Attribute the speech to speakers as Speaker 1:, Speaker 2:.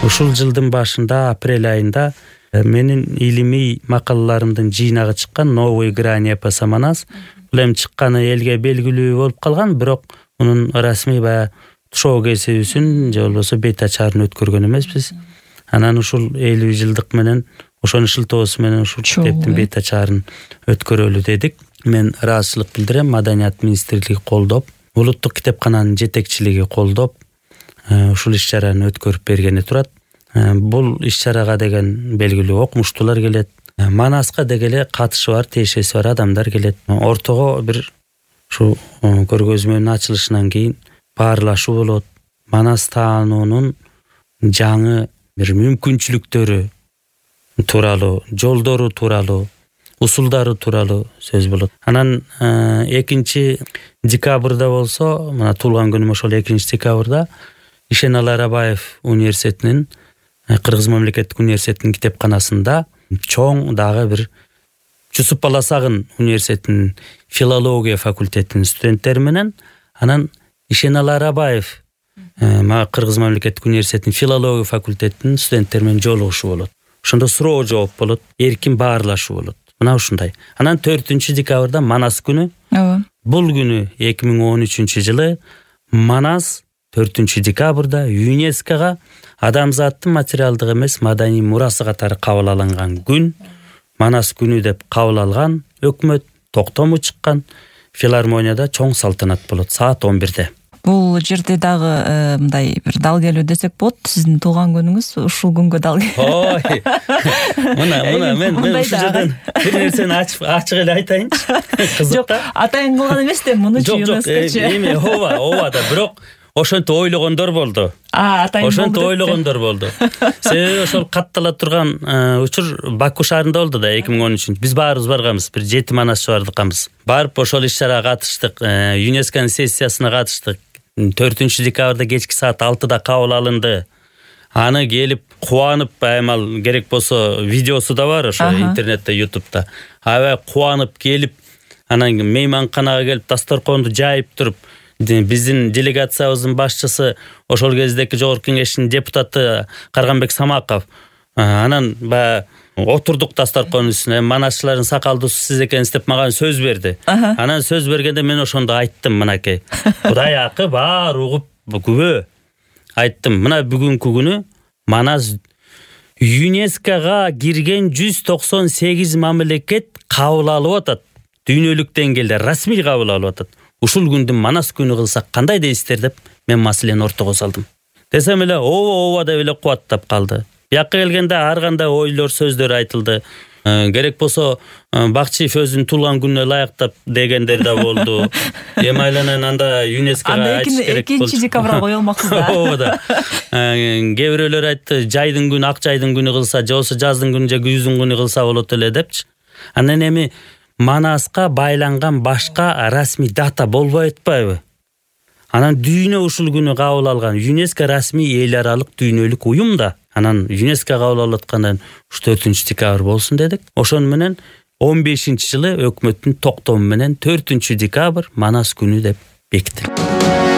Speaker 1: Ушул жылдын башында, апрель айында менин илимий макалаларымдын жыйнагы чыккан «Новые грани эпоса Манас». Бул эми чыкканы элге белгилүү болуп калган, бирок мунун расмий баягы тушоо кесибисин же болбосо бет ачарын өткөргөн эмеспиз. Анан ушул 50 жылдык менен ошонун шылтоосу менен ушул китептин бет ачарын өткөрөлү дедик. Мен ыраазычылык билдирем. Маданият министрлиги колдоп, улуттук китепкананын жетекчилиги колдоп, ушул иш-чараны өткөрүп бергени турат. Бул иш-чарага деген белгилүү окумуштуулар келет. Манаска дегеле катышы бар, тиешеси бар адамдар келет. Ортого бир ушу көргөзмөнүн ачылышынан кийин баарлашуу болот. Манас таануунун жаңы бир мүмкүнчүлүктөрү тууралуу, жолдору тууралуу, усулдары тууралуу сөз болот. Анан 2 декабрда болсо, мына туулган күнүм ошол 2 декабрда Ишеналы Арабаев университетинин, Кыргыз мамлекеттик университетинин китепканасында чоң дагы бир Жусуп Баласагын университетинин филология факультетинин студенттери менен анан Ишеналы Арабаев Кыргыз мамлекеттик университетинин филология факультетинин студенттери менен жолугушуу болот. Ошондо суроо жооп болот, эркин баарлашуу болот. Мына ушундай. Анан 4 декабрда Манас күнү. Бул күнү 2013 жылы Манас 4 декабрда ЮНЕСКОга адамзаттын материалдык эмес маданий мурасы катары кабыл алынган күн, Манас күнү деп кабыл алган өкмөт токтому чыккан. Филармонияда чоң салтанат болот саат 11-де.
Speaker 2: Бул жерде дагы мындай бир дал келүү десек болот. Сиздин туулган күнүңүз ушул күнгө дал. Ой.
Speaker 1: Мына мен ушул жерден бир нерсени ачык эле айтайынчы. Кызык да.
Speaker 2: Атайын кылган эмес да, мунучу ЮНЕСКОчу.
Speaker 1: Эми ооба да, бирок ошентип ойлогондор болду. Ошентип ойлогондор болду. Себеби ошол каттала турган учур Баку шаарында болду да 2013. Биз баарыбыз барганбыз, бир 7 манасчы бардыкбыз. Барып ошол иш-чарага катыштык, ЮНЕСКонун сессиясына катыштык. 4 декабрда кечки саат 6-да кабыл алынды. Аны келип кубанып, аймал керек болсо видеосу да бар ошо интернетте, YouTube'да. Аябай кубанып келип, анан мейманканага келип дасторконду жайып туруп, биздин делегациябыздын башчысы ошол кездеки жогорку кеңештин депутаты Карганбек Самаков. Анан отурдук дасторконун үстүнө. Манасчылардын сакалдуусу сиз экенсиз деп мага сөз берди. Анан сөз бергенде мен ошондо айттым, мынакей. Кудай акы баары угуп күбө. Айттым, мына бүгүнкү күнү Манас ЮНЕСКОга кирген 198 мамлекет кабыл алып атат. Дүйнөлүк деңгээлде расмий кабыл алып атат. Ушул күндү Манас күнү кылсак кандай дейсиздер деп мен маселени ортого салдым. Десем эле ооба деп эле кубаттап калды. Бияка келгенде ар кандай ойлор, сөздөр айтылды. Керек болсо Бакчиев өзүнүн туулган күнүнө ылайыктап дегендер да болду. Эми айланан анда ЮНЕСКОга айтыш керек болду.
Speaker 2: 2 декабрга коелмаксыз да.
Speaker 1: Ооба да. Кээ бирөөлөр айтты, жайдын күнү, ак жайдын күнү кылса, же болсо жаздын күнү же күздүн күнү кылса болот эле депчи. Анан эми Манаска байланган башка расмий дата болбой атпайбы? Анан дүйнө ушул күнү кабыл алган. ЮНЕСКО расмий эл аралык дүйнөлүк уюм да. Анан ЮНЕСКО кабыл алып аткандан 4 декабрь болсун дедик. Ошон менен 15-жылы өкмөттүн токтому менен 4 декабрь Манас күнү деп бекитилди.